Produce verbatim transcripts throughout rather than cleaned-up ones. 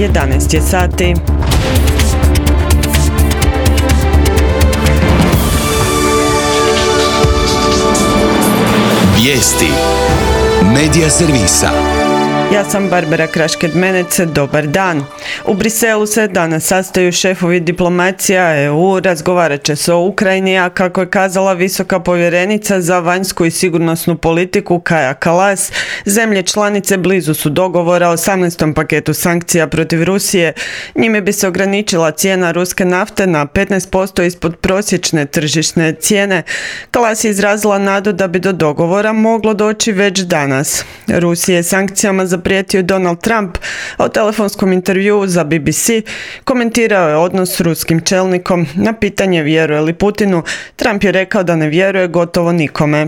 jedanaest je sati. Vijesti Medija servisa. Ja sam Barbara Krašked-Menec, dobar dan. U Briselu se danas sastaju šefovi diplomacija E U, razgovarat će se o Ukrajini, a kako je kazala visoka povjerenica za vanjsku i sigurnosnu politiku Kaja Kallas, zemlje članice blizu su dogovora o osamnaestom paketu sankcija protiv Rusije. Njime bi se ograničila cijena ruske nafte na petnaest posto ispod prosječne tržišne cijene. Kallas je izrazila nadu da bi do dogovora moglo doći već danas. Rusije je sankcijama zaprijetio Donald Trump, a u telefonskom intervjuu za B B C komentirao je odnos s ruskim čelnikom. Na pitanje vjeruje li Putinu, Trump je rekao da ne vjeruje gotovo nikome.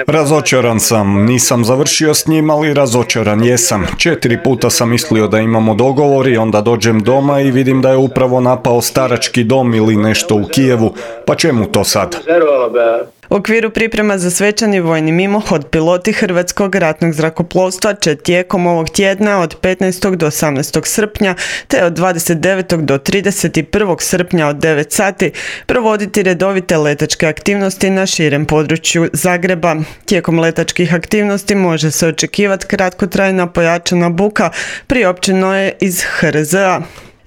Razočaran sam, nisam završio s njim, ali razočaran jesam. Četiri puta sam mislio da imamo dogovor i onda dođem doma i vidim da je upravo napao starački dom ili nešto u Kijevu. Pa čemu to sad? U okviru priprema za svečani vojni mimohod piloti Hrvatskog ratnog zrakoplovstva će tijekom ovog tjedna od petnaestog do osamnaestog srpnja te od dvadeset devetog do trideset prvog srpnja od devet sati provoditi redovite letačke aktivnosti na širem području Zagreba. Tijekom letačkih aktivnosti može se očekivati kratkotrajna pojačana buka priopćeno je iz H R Z A.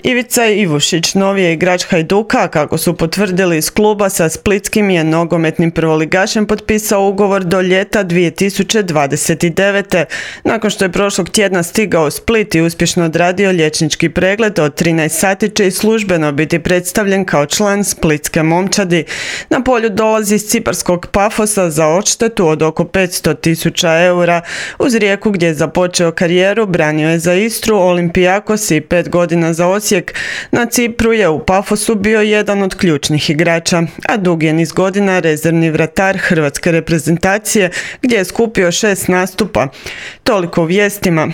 Ivica Ivušić, novi je igrač Hajduka, kako su potvrdili iz kluba, sa splitskim je nogometnim prvoligašem potpisao ugovor do ljeta dvije tisuće dvadeset devete. Nakon što je prošlog tjedna stigao u Split i uspješno odradio liječnički pregled, od trinaest sati će i službeno biti predstavljen kao član splitske momčadi. Na polju dolazi iz ciparskog Pafosa za odštetu od oko petsto tisuća eura. Uz Rijeku, gdje je započeo karijeru, branio je za Istru, Olympiakos i pet godina za Osijek. Na Cipru je u Pafosu bio jedan od ključnih igrača, a dugi je niz godina rezervni vratar hrvatske reprezentacije, gdje je skupio šest nastupa. Toliko u vijestima.